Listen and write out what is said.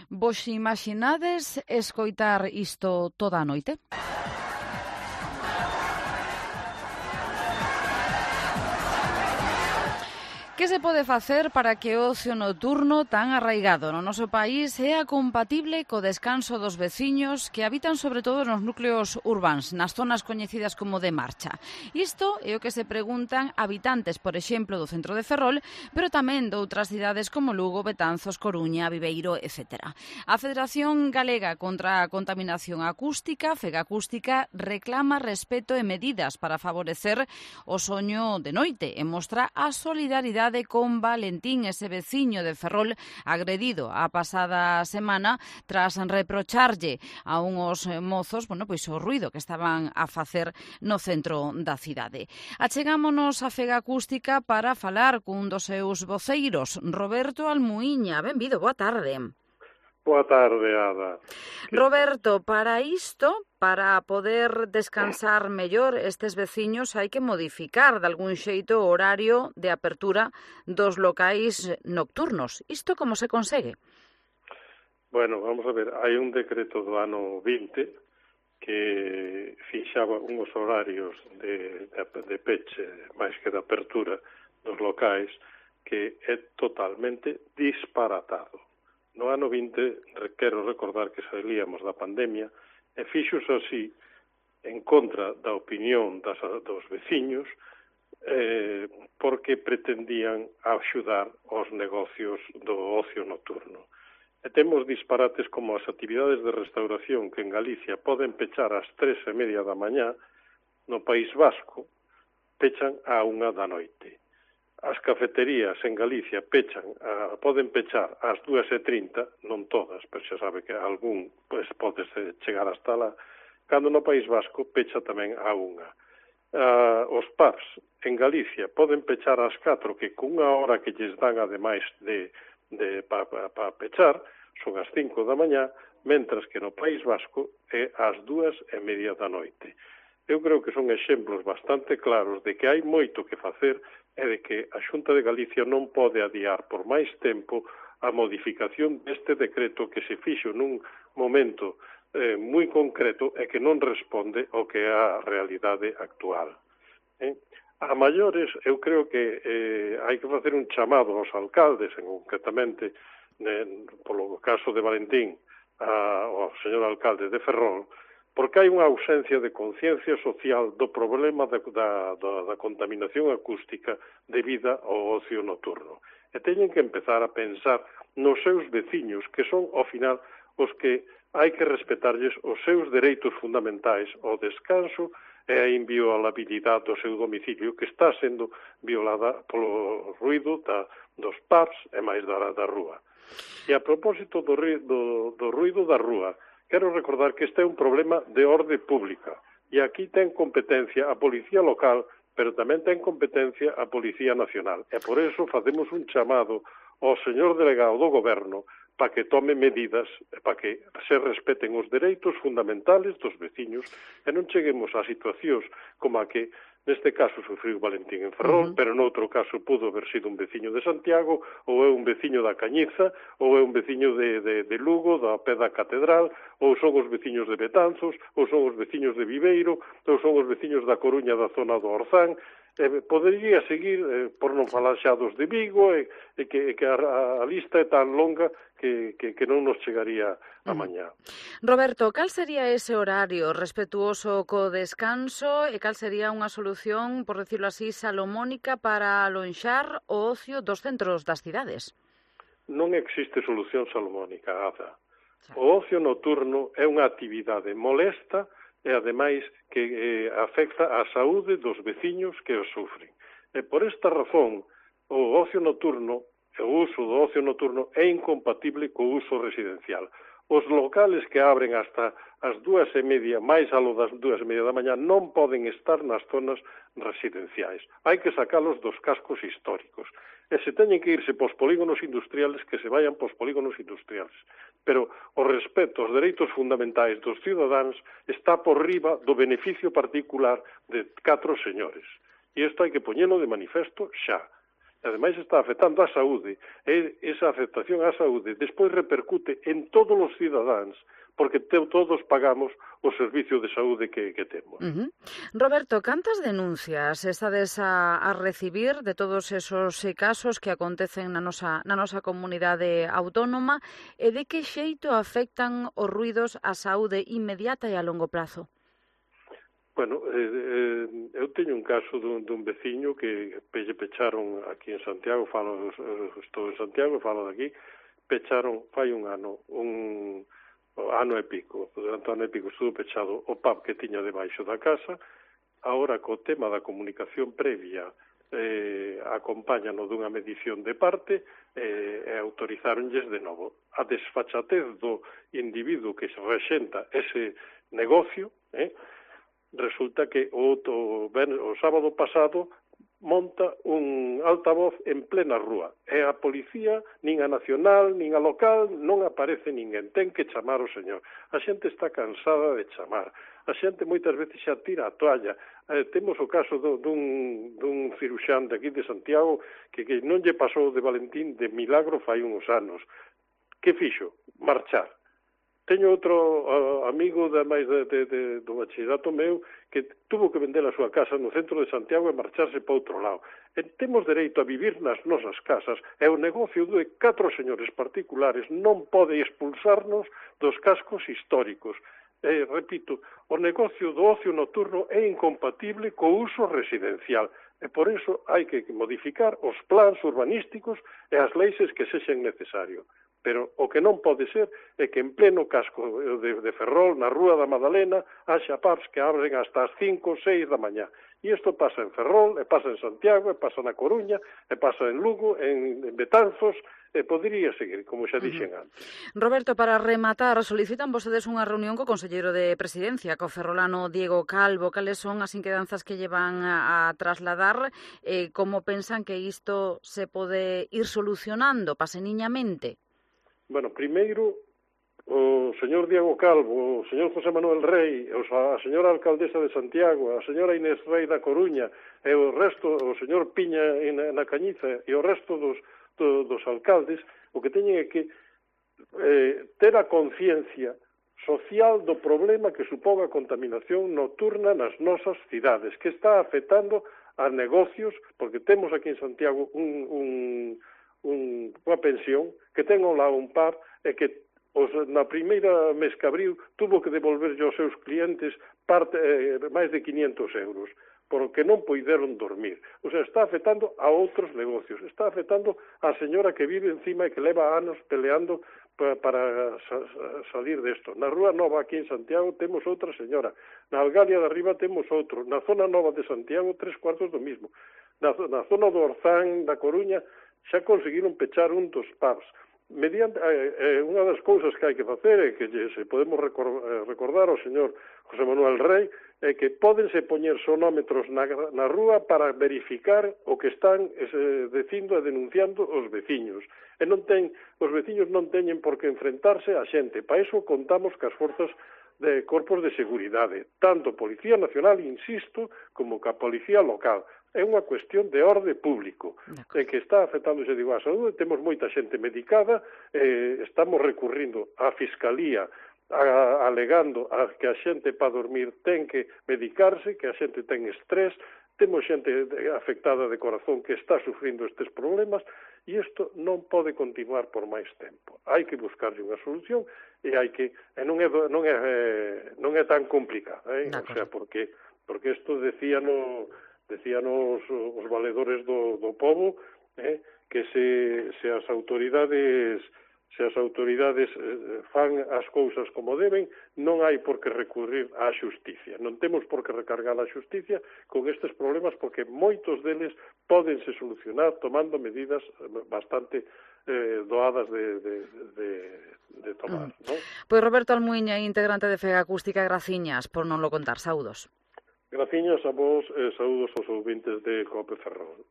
Vos imaginades escoitar isto toda a noite? Que se pode facer para que o ocio nocturno tan arraigado no noso país sea compatible co descanso dos veciños que habitan sobre todo nos núcleos urbáns, nas zonas coñecidas como de marcha? Isto é o que se preguntan habitantes, por exemplo, do centro de Ferrol, pero tamén de outras cidades como Lugo, Betanzos, Coruña, Viveiro, etc. A Federación Galega contra a Contaminación Acústica, FEGAcústica, reclama respeto e medidas para favorecer o soño de noite e mostra a solidaridade con Valentín, ese veciño de Ferrol agredido a pasada semana tras reprocharlle a unhos mozos, pois o ruido que estaban a facer no centro da cidade. Achegámonos a FEGAcústica para falar cun dos seus voceiros, Roberto Almuíña. Benvido, boa tarde. Boa tarde, Ada. Roberto, para isto, para poder descansar mellor estes veciños, hai que modificar de algún xeito o horario de apertura dos locais nocturnos. Isto como se consegue? Bueno, vamos a ver, hai un decreto do ano 20 que fixaba uns horarios de peche máis que de apertura dos locais que é totalmente disparatado. No ano 20, quero recordar que salíamos da pandemia, e fixos así en contra da opinión dos veciños porque pretendían axudar os negocios do ocio nocturno. E temos disparates como as actividades de restauración que en Galicia poden pechar ás 3:30 da mañá, no País Vasco pechan á 1 da noite. As cafeterías en Galicia poden pechar ás 2:30, non todas, pero xa sabe que algún pode chegar hasta lá, cando no País Vasco pecha tamén á 1. Os pubs en Galicia poden pechar ás 4, que cunha hora que lles dan ademais para pechar son as 5 da mañá, mentras que no País Vasco é ás 2:30 da noite. Eu creo que son exemplos bastante claros de que hai moito que facer e de que a Xunta de Galicia non pode adiar por máis tempo a modificación deste decreto que se fixo nun momento moi concreto e que non responde ao que é a realidade actual. A maiores, eu creo que hai que facer un chamado aos alcaldes, concretamente, polo caso de Valentín, ao señor alcalde de Ferrol, porque hai unha ausencia de conciencia social do problema da contaminación acústica debida ao ocio nocturno. E teñen que empezar a pensar nos seus veciños, que son, ao final, os que hai que respetarlles os seus dereitos fundamentais ao descanso e a inviolabilidade do seu domicilio, que está sendo violada polo ruido dos pubs e máis da rúa. E a propósito do ruido da rúa, quero recordar que este é un problema de orde pública e aquí ten competencia a Policía Local, pero tamén ten competencia a Policía Nacional. E por eso facemos un chamado ao señor delegado do Goberno para que tome medidas, para que se respeten os dereitos fundamentales dos veciños e non cheguemos a situacións como a que neste caso sufriu Valentín en Ferrol, pero noutro caso pudo haber sido un veciño de Santiago, ou é un veciño da Cañiza, ou é un veciño de Lugo, da pé da Catedral, ou son os veciños de Betanzos, ou son os veciños de Viveiro, ou son os veciños da Coruña da zona do Orzán. Podería seguir, por non falar xa dos de Vigo, e que a lista é tan longa que non nos chegaría a mañá. Roberto, cal sería ese horario respetuoso co descanso e cal sería unha solución, por decirlo así, salomónica para alonxar o ocio dos centros das cidades? Non existe solución salomónica, Ada. O ocio nocturno é unha actividade molesta e, ademais, que afecta a saúde dos veciños que o sufren. E por esta razón, o ocio nocturno, o uso do ocio nocturno é incompatible co uso residencial. Os locales que abren hasta as 2:30, máis alo das 2:30 da mañá, non poden estar nas zonas residenciais. Hai que sacalos dos cascos históricos. E se teñen que irse pos polígonos industriales, que se vayan pos polígonos industriales. Pero o respeto aos dereitos fundamentais dos cidadáns está por riba do beneficio particular de 4 señores. E isto hai que poñelo de manifesto xa. ademais está afectando a saúde, e esa afectación á saúde despois repercute en todos os cidadáns, porque todos pagamos o servicio de saúde que temos. Roberto, cantas denuncias estades a recibir de todos esos casos que acontecen na nosa comunidade autónoma e de que xeito afectan os ruidos á saúde inmediata e a longo prazo? Bueno, eu teño un caso dun veciño que lle pecharon aquí en Santiago, estou en Santiago, falo de aquí, pecharon fai un ano e pico, durante un ano e pico estuvo pechado o pub que tiña debaixo da casa. Agora, co tema da comunicación previa, acompáñano dunha medición de parte e autorizáronlles de novo. A desfachatez do individuo que se rexenta ese negocio, resulta que o sábado pasado monta un altavoz en plena rúa. E a policía, nin a nacional, nin a local, non aparece ninguén. Ten que chamar o señor. A xente está cansada de chamar. A xente moitas veces xa tira a toalla. Temos o caso dun ciruxán de aquí de Santiago que non lle pasou de Valentín de milagro fai uns anos. Que fixo? Marchar. Teño outro amigo do bachillerato meu que tuvo que vender a súa casa no centro de Santiago e marcharse para outro lado. E temos dereito a vivir nas nosas casas e o negocio de 4 señores particulares non pode expulsarnos dos cascos históricos. Repito, o negocio do ocio nocturno é incompatible co uso residencial e por iso hai que modificar os plans urbanísticos e as leis que sexen necesario. Pero o que non pode ser é que en pleno casco de Ferrol, na Rúa da Madalena, haxa pubs que abren hasta as 5 ou 6 da mañá. E isto pasa en Ferrol, e pasa en Santiago, e pasa na Coruña, e pasa en Lugo, en Betanzos, e podería seguir, como xa dixen antes. Roberto, para rematar, solicitan vostedes unha reunión co Conselleiro de Presidencia, co ferrolano Diego Calvo. Cales son as inquedanzas que llevan a trasladar? Como pensan que isto se pode ir solucionando paseniñamente? Bueno, primeiro, o señor Diego Calvo, o señor José Manuel Rey, a señora alcaldesa de Santiago, a señora Inés Rey da Coruña, e o resto, o señor Piña na Cañiza, e o resto dos alcaldes, o que teñen é que ter a conciencia social do problema que supón a contaminación nocturna nas nosas cidades, que está afectando a negocios, porque temos aquí en Santiago unha pensión que ten lá un pub e que na primeira mes que abriu tuvo que devolverlle aos seus clientes máis de 500 euros porque non poideron dormir. O sea, está afectando a outros negocios, está afectando a señora que vive encima e que leva anos peleando para salir desto. Na Rúa Nova aquí en Santiago temos outra señora, na Algalia de Arriba temos outro, na zona nova de Santiago 3/4 do mismo, na zona do Orzán da Coruña xa conseguiron pechar un dos pubs. Mediante unha das cousas que hai que facer é que se podemos recordar ao señor José Manuel Rey é que pódense poñer sonómetros na rúa para verificar o que están dicindo e denunciando os veciños. E os veciños non teñen por que enfrentarse a xente. Para iso contamos cas forzas de corpos de seguridade, tanto Policía Nacional, insisto, como ca Policía Local. É unha cuestión de orde público, que está afectando, se digo, a saúde. Temos moita xente medicada, estamos recurrindo á Fiscalía, alegando que a xente para dormir ten que medicarse, que a xente ten estrés, temos xente afectada de corazón que está sufrindo estes problemas, e isto non pode continuar por máis tempo. Hai que buscarlle unha solución e non é tan complicado, o sea, porque isto decían os valedores do pobo, que se as autoridades fan as cousas como deben, non hai por que recurrir á xusticia. Non temos por que recargar a xusticia con estes problemas, porque moitos deles pódense solucionar tomando medidas bastante doadas de tomar, non? Pois Roberto Almuiña, integrante de Fega Acústica, graciñas por non lo contar. Saúdos. Graciñas a vos e saúdos aos ouvintes de Cope Ferrol.